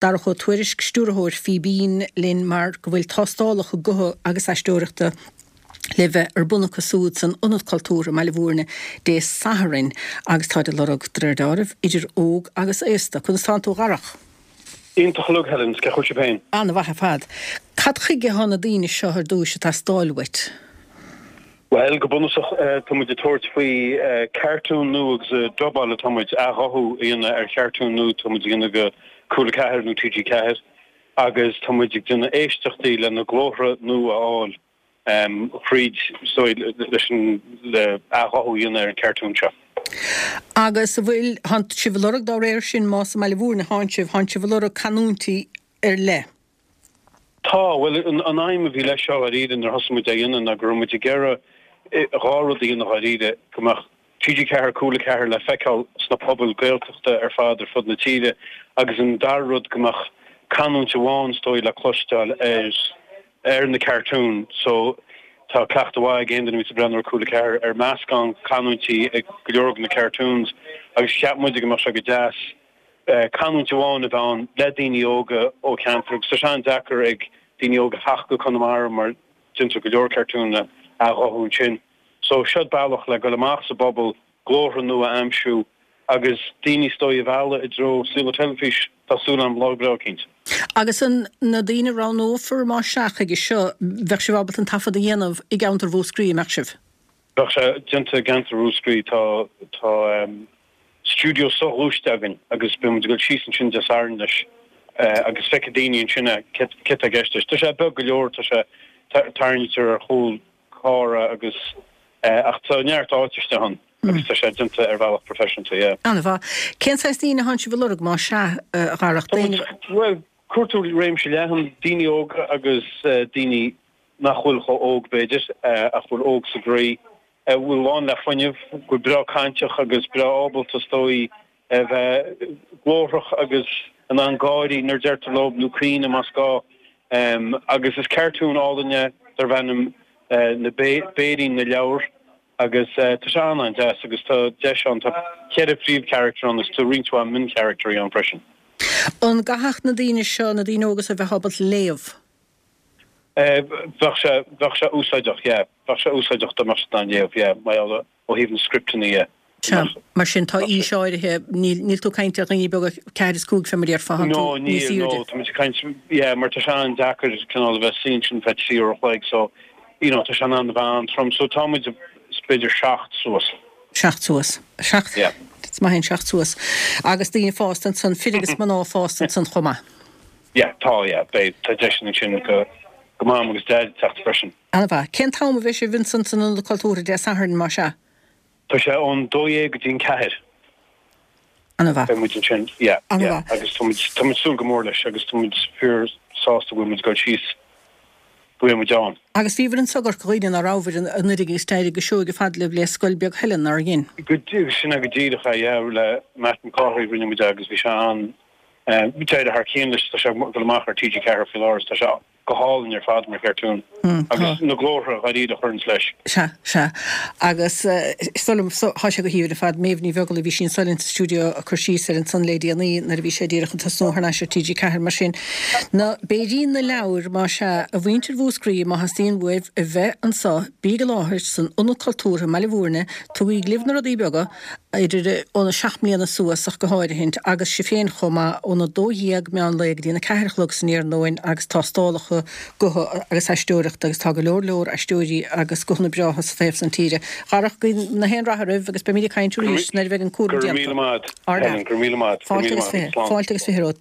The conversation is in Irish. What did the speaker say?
Darach Ó Tuairisg, Stiúrthóir Fíbín, linn mar go bhfuil tástálacha gutha agus aisteoireachta le bheith ar bun acu súd san Ionad Cultúrtha i mBaile Bhúirne Dé Sathairn agus táid ag lorg, de réir deáraimh, idir óg agus aosta. Conas tánn tú a Dharach? Iontach uilig, Helen, 's cén chaoi a bhfuil sibh féin? Ana-mhaith ar fad. Cad chuige thá na daoine seo ar dtúis ag teastáil uait? Bhuel, go bunúsach, tá muid ag tabhairt faoi cartún nua agus ag dubáil atá muid, athghuthú a dhéanamh ar chartún nua tá muid a dhéanamh do Cúla 4 nó TG4 agus tá muid ag déanamh éisteachtaí le na glórtha nua a fháil thríd, so, leis an, le athghuthú a dhéanamh ar an chartún seo. Agus an bhfuil, thánn sibh ag lorg dá réir sin, más i mBaile Bhúirne thánn sibh, thánn sibh ag lorg canúintí ar leith? Tá, bhuel, an aidhm a bhí leis seo dháiríre nuair a thosaigh muid á dhéanamh ná go raibh muid ag iarraidh dhá rud a dhéanamh dháiríre, go mbeadh TG4, Cúla 4 le feiceáil sna pobail Gaeltachta ar fad ar fud na tíre agus an dara rud go mbeadh canúint amháin is dóigh le cloisteáil ar ar na cartúin. So tá cleachtadh mhaith ag aon duine a bhíos ag breathnú ar Cúla 4 ar meascán canúintí ag go leor de na cartoons agus cheap muide go mbeadh sé go deas canúint amháin a bheith ann le daoine óga ó cheantar agus tá sé an-deacair ag daoine óga theacht go Conamara mar déantar go leor cartún a athghuthú ansin. So seod bealach le goil amach sa bpobal, glórtha nua a aimsiú agus daoine is dóigh a mhealladh i dtreo saol na teilifís, tá súil agam lá breá eicínt. Agus an na daoine a roghnófar más ea chuige seo, bheadh sibh ábalta an taifead a dhéanamh i gceantar Mhúscraí, an mbeadh sibh? Bheadh sé déanta i gceantar Mhúscraí. Tá tá stiúideo soghluaiste againn agus beidh muid ag dul síos ansin Dé Sathairn leis agus feicfidh daoine ansin é céard atá i gceist leis. Tá sé beag go leor, tá sé tarraingtear ar chúl carr é agus ach tá neart áite istigh ann agus tá sé déanta ar bhealach professionalta, yeah. An-mhaith. Cén saghas daoine atánn sibh a lorg más ea, a Dharach? Tá muid, bhuel, cuartú réimse leathan, daoine óga agus daoine nach bhfuil chomh óg, b'fhéidir, ach bhfuil óg sa gcroí, a bhfuil lán le fuinneamh, go bhfuil breá cainteach agus breá ábalta, is dóigh, a bheith glórthach agus in ann gáirí nuair a deirtear leo, nó caoineadh más gá. Agus is cartún álainn é darb ainm Na Béirín na Leabhar agus tá sé an-an-deas agus tá deis ann, tá cheithre phríomhcharachtar ann agus tá roinnt mhaith mioncharachtarí ann freisin. An gcaithfeadh na daoine seo, na daoine óga seo, a bheith ábalta léamh? Bheadh sé, bheadh sé úsáideach, yeah. Bheadh sé úsáideach dá mbeadh siad in ann léamh, yeah, mar gheall ó thaobh na scripteanna dhe. Sea, mar sin tá aois áirithe, níl, níl tú ag caint ar dhaoine beaga ceathair is cúig fé mar a déarfá, tá tú No, níl, níos no, airde. tá muid ag caint, yeah, mar tá sé an-deacair cineál a bheith suí ansin feadh trí uair a chloig, so, you know, tá sé in ann a bheith an-trom, so tá muid, b'fhéidir seacht suas. Seacht suas. Seacht, Yeah. is maith é an seacht suas. Agus daoine fásta ansan, fir agus mná fásta ansan chomh maith. Yeah, tá, yeah, beidh, tá deiseanna ansin go, go Mam agus Daid teacht freisin. An-mhaith. Cén t-am a bheidh sibh ansan san Ionad Cultúrtha Dé Sathairn, más ea? Tá sé ón dó dhéag go dtí an ceathair. An-mhaith. Beidh muid ansin, yeah, yeah, An-mhaith. agus tá muid, tá muid súil go mór leis agus tá muid fíor sásta go bhfuil muid ag dul síos, go bhfuil muid ann. Agus bhíobhair anso i gCorca Dhuibhne ná rabhabhair anuraidh agus d'éirigh go seoigh ar fad libh le Scoil Beag Helen, nár dhein? Go, sin é go díreach é, yeah, le Matt Mac Cárthaigh rinne muid é agus bhí sé an, D'éirigh thar cionn leis, tá sé ag dul amach ar TG4 faoi láthair is tá sé go hálainn ar fad mar chartún agus na glórtha dháiríre a chuireanns leis. Sea, sea. Agus is dóigh liom, tá sé go haoibhinn ar fad. Méabh Ní Bheaglaoich, bhí sí anso linn sa stiúideo ag cur síos air ansan le déanaí nuair a bhí sé díreach ag tosnú thar n-ais ar TG4. Mar sin, na Béirín na Leabhar, más ea, a mhuintir Mhúscraí, má theastaíonn uaibh a bheith anso, bíg i láthair san Ionad Cultúrtha i mBaile Bhúirne, tugaíg libh na rudaí beaga, idir óna seacht mbliana suas ach go háirithint, agus sibh féin chomh maith, óna 12 meán lae go dtí an 4 a chlog san iarnóin agus tástálacha gutha agus aisteoireachta agus tá go leor leor aisteoirí agus guthanna breátha sa taobh san tíre. Dharach, guím na haon rath oraibh agus beimid ag caint arís nuair a bheidh an cúram déanta. Go raibh míle maith, Helen, go raibh míle maith. Fáilte agus 20, fáilte agus 20 romhat.